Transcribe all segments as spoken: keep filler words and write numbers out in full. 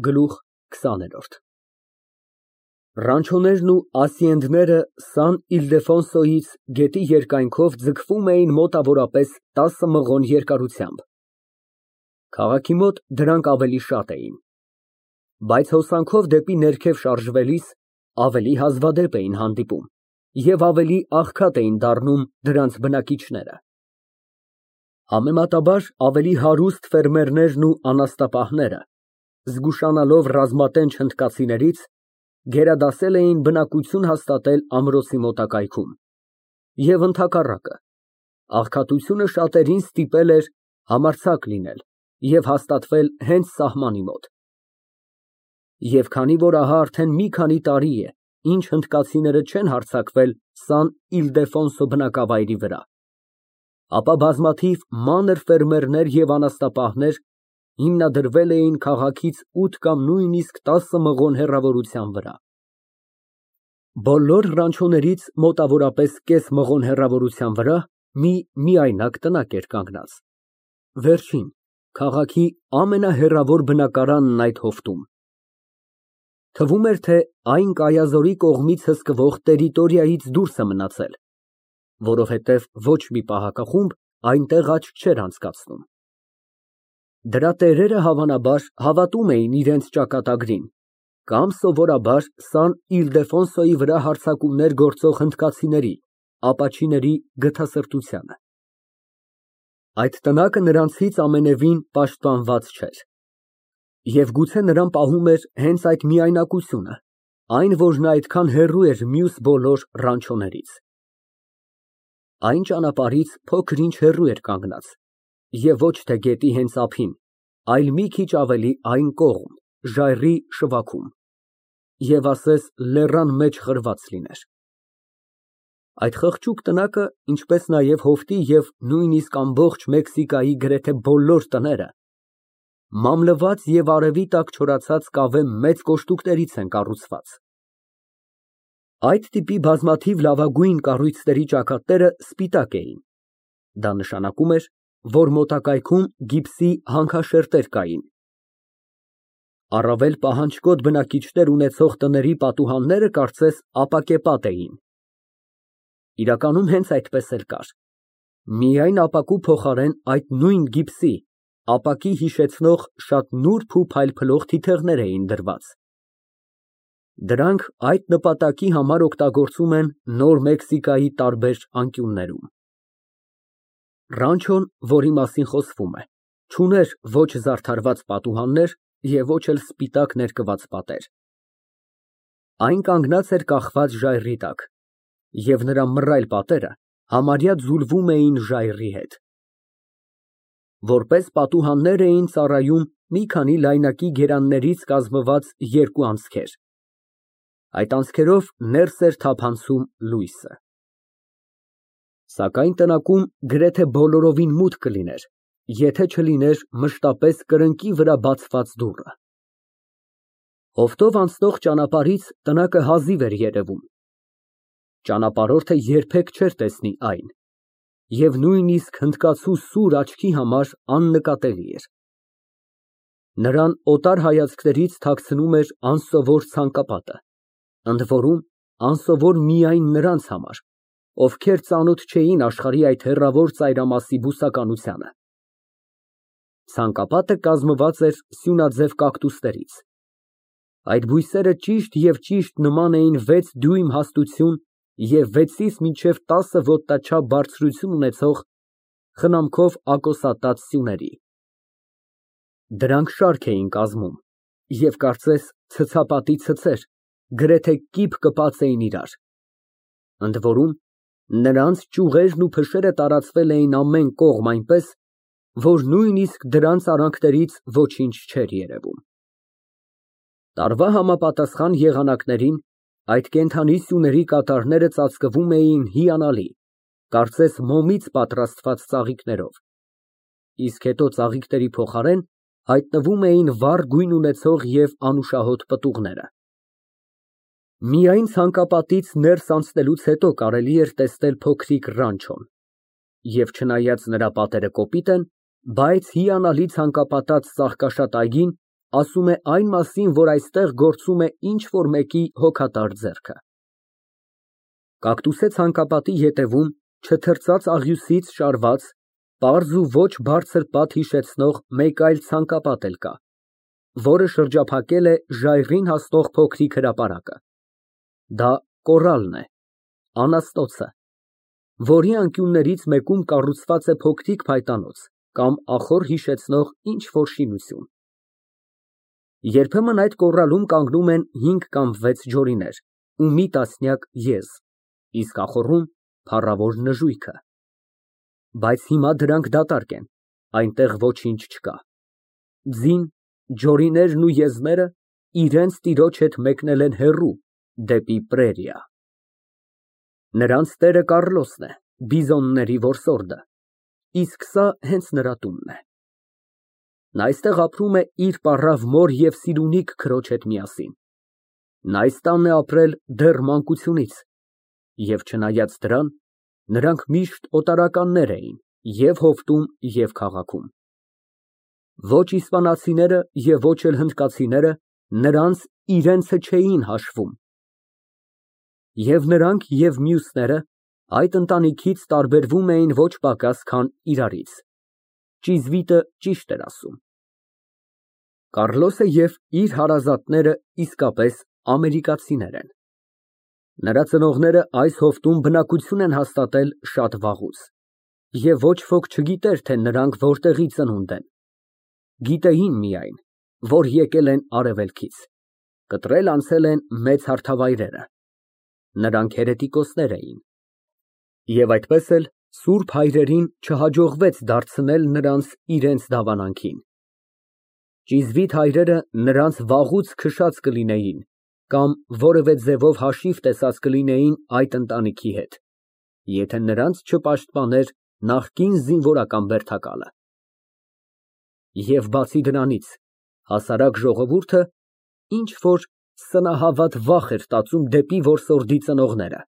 Գլուխ քսաներորդ Ռանչոներն ու ասիենդները Սան Իլդեֆոնսոյից գետի երկայնքով ձգվում էին մոտավորապես տասը մղոն երկարությամբ, քաղաքի մոտ դրանք ավելի շատ էին, բայց հոսանքով դեպի ներքև շարժվելիս ավելի հազվադեպ էին հանդիպում և ավելի աղքատ էին դառնում դրանց բնակիչները, համեմատաբար ավելի հարուստ ֆերմերներն ու անասնապահները, զգուշանալով ռազմատենչ հնդկացիներից, գերադասել էին բնակություն հաստատել ամրոցի մոտակայքում և ընդհակառակը, աղքատությունը շատերին ստիպել էր համարձակ լինել և հաստատվել հենց սահմանի մոտ, և քանի որ ահա արդեն մի քանի տարի է, ինչ հնդկացիները չեն հարձակվել Սան Իլդեֆոնսո բնակավայրի վրա, ապա բազմաթիվ մանր ֆերմերներ և անասնապահներ հիմնադրվել էին քաղաքից ութ կամ նույնիսկ տասը մղոն հեռավորության վրա։ Բոլոր ռանչոներից մոտավորապես կես մղոն հեռավորության վրա մի միայնակ տնակ էր կանգնած, վերջին, քաղաքի ամենահեռավոր բնակարանն այդ հովտում, թվում էր, թե այն Կայազորի կողմից հսկվող տերիտորիայից դուրս է մնացել, որովհետև ոչ մի պահակախումբ այնտեղ աչք չէր անցկացնում։ Դրա տերերը հավանաբար հավատում էին իրենց ճակատագրին կամ սովորաբար Սան Իլդեֆոնսոյի վրա հարձակումներ գործող հնդկացիների, ապաչիների գթասրտությանը։ Այդ տնակը նրանցից ամենևին պաշտպանված չէր, և գուցե նրան պահում էր հենց այդ միայնակությունը, այն, որ նա այդքան հեռու էր մյուս բոլոր ռանչոներից։ Այն ճանապարհից փոքր-ինչ հեռու էր կանգնած և ոչ թե գետի հենց ափին, այլ մի քիչ ավելի այն կողմ, ժայռի շվաքում, և ասես լեռան մեջ խրված լիներ։ Այդ խղճուկ տնակը, ինչպես նաև հովտի և նույնիսկ ամբողջ Մեքսիկայի գրեթե բոլոր տները, մամլված և արևի տակ չորացած կավե մեծ կոշտուկներից են կառուցված։ Այդ տիպի բազմաթիվ լավագույն կառույցների ճակատները սպիտակ էին, դա նշանակում էր, որ մոտակայքում գիպսի հանքաշերտեր կային։ Առավել պահանջկոտ բնակիչներ ունեցող տների պատուհանները կարծես ապակեպատ էին։ Իրականում հենց այդպես էլ կար, միայն ապակու փոխարեն այդ նույն գիպսի, ապակի հիշեցնող շատ նուրբ ու փայլփլող թիթեղներ էին դրված։ Դրանք այդ նպատակի համար օգտագործում են Նոր Մեքսիկայի տարբեր անկյուններում։ Ռանչոն, որի մասին խոսվում է, չուներ ոչ զարդարված պատուհաններ և ոչ էլ սպիտակ ներկված պատեր։ Այն կանգնած էր կախված ժայռի տակ, և նրա մռայլ պատերը համարյա ձուլվում էին ժայռի հետ։ Որպես պատուհաններ էին ծառայում մի քանի լայնակի գերաններից կազմված երկու անցքեր, այդ անցքերով ներս էր թափանցում լույսը։ Սակայն տնակում գրեթե բոլորովին մութ կլիներ, եթե չլիներ մշտապես կրկնակի վրա բացված դուռը։ Հովտով անցնող ճանապարհից տնակը հազիվ էր երևում, ճանապարհորդը երբեք չէր տեսնի այն, և նույնիսկ հնդկացու սուր աչքի համար աննկատելի էր։ Նրան օտար հայացքներից թաքցնում էր անսովոր ցանկապատը, ընդ որում անսովոր միայն նրանց համար, ովքեր ծանոթ չէին աշխարհի այդ հեռավոր ծայրամասի բուսականությանը։ Ցանկապատը կազմված էր սյունաձև կակտուսներից։ Այդ բույսերը ճիշտ և ճիշտ նման էին վեց դյույմ հաստություն և վեցից մինչև տասը ոտնաչափ բարձրություն ունեցող խնամքով ակոսատած սյուների։ Դրանք շարք էին կազմում և կարծես ցցապատի ցցեր գրեթե կիպ կպած էին իրար, ընդ որում նրանց ճյուղերն ու փշերը տարածվել էին ամեն կողմ այնպես, որ նույնիսկ դրանց արանքներից ոչինչ չէր երևում։ Տարվա համապատասխան եղանակներին այդ կենդանի սյուների կատարները ծածկվում էին հիանալի, կարծես մոմից պատրաստված ծաղիկներով, իսկ հետո ծաղիկների փոխարեն հայտնվում էին վառ գույն ունեցող և անուշահոտ պտուղները։ Միայն ցանկապատից ներս անցնելուց հետո կարելի էր տեսնել փոքրիկ ռանչոն, և չնայած նրա պատերը կոպիտ են, բայց հիանալի ցանկապատած ծաղկաշատ այգին ասում է այն մասին, որ այստեղ գործում է ինչ֊որ մեկի հոգատար ձեռքը։ Կակտուսե ցանկապատի ետևում, չթրծած աղյուսից շարված, պարզ ու ոչ բարձր պատ հիշեցնող մեկ այլ ցանկապատ էլ կա, որը շրջափակել է ժայռին հասնող փոքրիկ հրապարակը։ Դա կոռալն է, անաստոցը, որի անկյուններից մեկում կառուցված է փոքրիկ փայտանոց կամ ախոռ հիշեցնող ինչ֊որ շինություն։ Երբեմն այդ կոռալում կանգնում են հինգ կամ վեց ջորիներ ու մի տասնյակ եզ, իսկ ախոռում փառավոր նժույգը։ Բայց հիմա դրանք դատարկ են, այնտեղ ոչինչ չկա։ Ձին, ջորիներն ու եզները իրենց տիրոջ հետ մեկնել են հեռու, դեպի պրերիա։ Նրանց տերը Կառլոսն է, բիզոնների որսորդը, իսկ սա հենց նրա տունն է։ Նա այստեղ ապրում է իր պառավ մոր և սիրունիկ քրոջ հետ միասին։ Նա այս տանն է ապրել դեռ մանկությունից, և չնայած դրան, նրանք միշտ օտարականներ էին և հովտում, և քաղաքում։ Ոչ իսպանացիները և ոչ էլ հնդկացիները նրանց իրենցը չէին հաշվում։ Եվ նրանք, և մյուսները այդ ընտանիքից տարբերվում էին ոչ պակաս, քան իրարից։ Ճիզվիտը ճիշտ էր ասում։ Կառլոսը և իր հարազատները իսկապես ամերիկացիներ են։ Նրա ծնողները այս հովտում բնակություն են հաստատել շատ վաղուց, և ոչ ոք չգիտեր, թե նրանք որտեղի ծնունդ են։ Գիտեին միայն, որ եկել են արևելքից, կտրել անցել են մեծ հարթավայրերը։ Նրանք հերետիկոսներ էին։ Եվ այդպես էլ սուրբ հայրերին չհաջողվեց դարձնել նրանց իրենց դավանանքին։ Ճիզվիտ հայրերը նրանց վաղուց քշած կլինեին կամ որևէ ձևով հաշիվ տեսած կլինեին այդ ընտանիքի հետ, եթե նրանց չպաշտպաներ նախկին զինվորական բերդակալը։ Եվ բացի դրանից, հասարակ ժողովուրդը ինչ֊որ սնահավատ վախ էր տածում դեպի որսորդի ծնողները։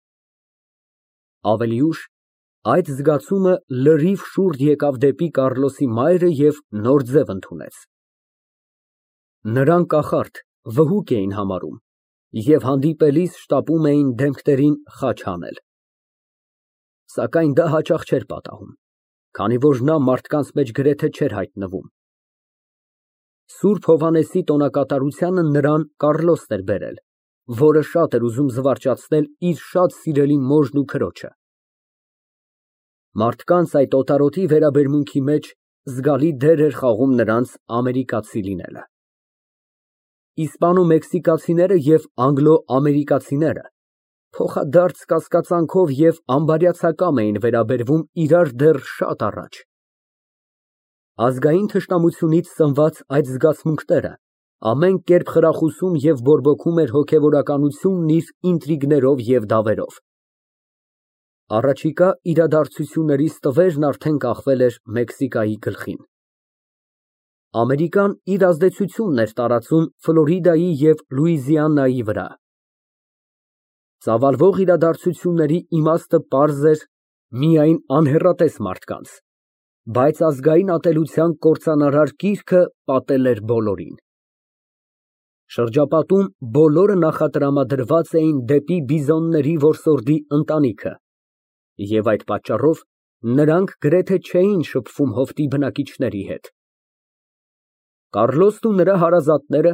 Ավելի ուշ այդ զգացումը լրիվ շուռ եկավ դեպի Կառլոսի մայրը և նոր ձև ընդունեց։ Նրան կախարդ, վհուկ էին համարում և հանդիպելիս շտապում էին դեմքերին խաչ հանել։ Սակայն դա հաճախ չէր պատահում, քանի որ նա մարդկանց մեջ գրեթե չէր հայտնվում։ Սուրբ Հովհաննեսի տոնակատարությանը նրան Կառլոսն էր բերել, որը շատ էր ուզում զվարճացնել իր շատ սիրելի մորն ու քրոջը։ Մարդկանց այդ օտարոտի վերաբերմունքի մեջ զգալի դեր էր խաղում նրանց ամերիկացի լինելը։ Իսպանո֊մեքսիկացիները և անգլո֊ամերիկացիները փոխադարձ կասկածանքով և անբարյացակամ էին վերաբերվում իրար դեռ շատ առաջ։ Ազգային թշնամությունից սնված այդ զգացմունքները ամեն կերպ խրախուսում և բորբոքում էր հոգևորականությունն իր ինտրիգներով և դավերով։ Առաջիկա իրադարձությունների ստվերն արդեն կախվել էր Մեքսիկայի գլխին։ Ամերիկան իր ազդեցությունն էր տարածում Ֆլորիդայի և Լուիզիանայի վրա։ Ծավալվող իրադարձությունների իմաստը պարզ էր միայն անհեռատես մարդկանց, բայց ազգային ատելության կործանարար կիրքը պատել էր բոլորին։ Շրջապատում բոլորը նախատրամադրված էին դեպի բիզոնների որսորդի ընտանիքը, և այդ պատճառով նրանք գրեթե չէին շփվում հովտի բնակիչների հետ։ Կառլոսն ու նրա հարազատները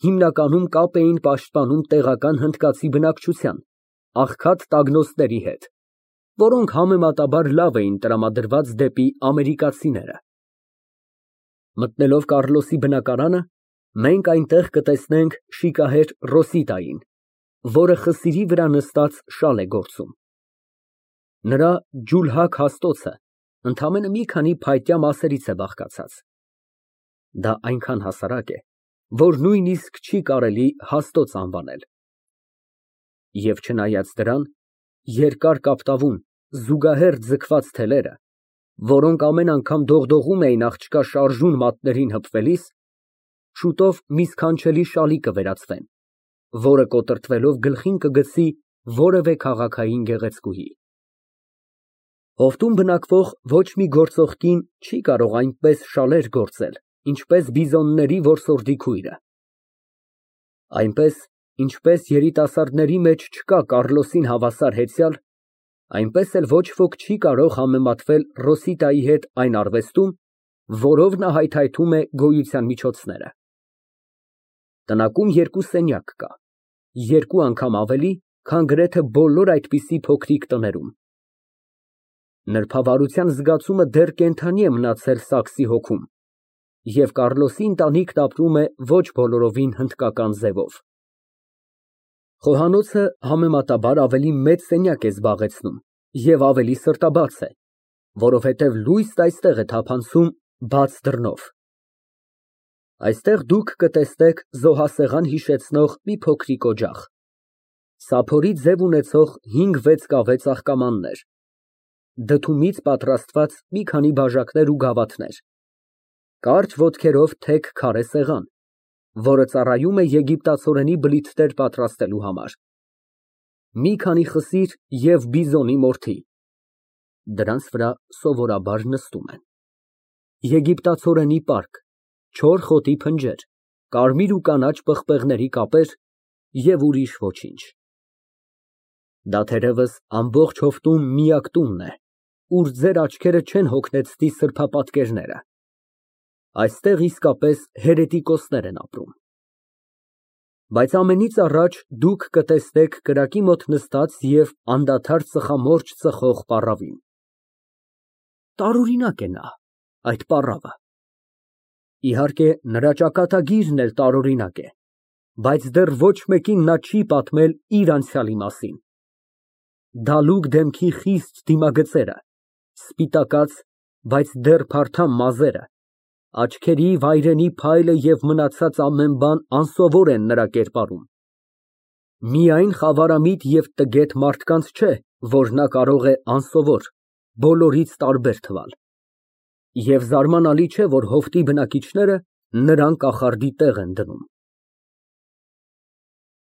հիմնականում կապ էին պաշտպանում տեղական հնդկացի բնակչության, աղքատ տագնոցների հետ, որոնք համեմատաբար լավ էին տրամադրված դեպի ամերիկացիները։ Մտնելով Կառլոսի բնակարանը, մենք այնտեղ կտեսնենք շիկահեր Ռոսիտային, որը խսիրի վրա նստած շալ է գործում։ Նրա ջուլհակ հաստոցը ընդամենը մի քանի փայտյա մասերից է բաղկացած։ Դա այնքան հասարակ է, որ նույնիսկ չի կարելի հաստոց անվանել։ Եվ չնայած դրան, երկար կապտավուն, զուգահեռ ձգված թելերը, որոնք ամեն անգամ դողդողում էին աղջկա շարժուն մատներին հպվելիս, շուտով մի սքանչելի շալի կվերածվեն, որը կոտրտվելով գլխին կգցի որևէ քաղաքային գեղեցկուհի։ Հովտում բնակվող ոչ մի գործող կին չի կարող այնպես շալեր գործել, ինչպես բիզոնների որսորդի քույրը։ Այնպես, ինչպես երիտասարդների մեջ չկա Կառլոսին հավասար հեծյալ, այնպես էլ ոչ ոք չի կարող համեմատվել Ռոսիտայի հետ այն արվեստում, որով նա հայթայթում է գոյության միջոցները։ Տնակում երկու սենյակ կա, երկու անգամ ավելի, քան գրեթե բոլոր այդպիսի փոքրիկ տներում։ Նրբավարության զգացումը դեռ կենդանի է մնացել Սաքսի հոգում, և Կառլոսի ընտանիքն ապրում է ոչ բոլորովին հնդկական ձևով։ Խոհանոցը համեմատաբար ավելի մեծ սենյակ է զբաղեցնում և ավելի սրտաբաց է, որովհետև լույսն այստեղ է թափանցում բաց դռնով։ Այստեղ դուք կտեսնեք զոհասեղան հիշեցնող մի փոքրիկ օջախ, սափորի ձև ունեցող հինգ֊վեց կավե ծաղկամաններ, դդումից պատրաստված մի քանի բաժակներ ու գավաթներ, կարճ ոտքերով թեք քարե սեղան, որը ծառայում է եգիպտացորենի բլիթներ պատրաստելու համար, մի քանի խսիր և բիզոնի մորթի (դրանց վրա սովորաբար նստում են), եգիպտացորենի պարկ, չոր խոտի փնջեր, կարմիր ու կանաչ պղպեղների կապեր և ուրիշ ոչինչ։ Դա թերևս ամբողջ հովտում միակ տունն է, ուր ձեր աչքերը չեն հոգնեցնի սրբապատկերները։ Այստեղ իսկապես հերետիկոսներ են ապրում։ Բայց ամենից առաջ դուք կտեսնեք կրակի մոտ նստած և անդադար ծխամորճ ծխող պառավին։ Տարօրինակ է նա, այդ պառավը։ Իհարկե, նրա ճակատագիրն էլ տարօրինակ է, բայց դեռ ոչ մեկին նա չի պատմել իր անցյալի մասին։ Դալուկ դեմքի խիստ դիմագծերը, սպիտակած, բայց դեռ փարթամ մազերը, աչքերի վայրենի փայլը և մնացած ամեն բան անսովոր են նրա կերպարում։ Միայն խավարամիտ և տգետ մարդկանց չէ, որ նա կարող է անսովոր, բոլորից տարբեր թվալ։ Եվ զարմանալի չէ, որ հովտի բնակիչները նրան կախարդի տեղ են դնում։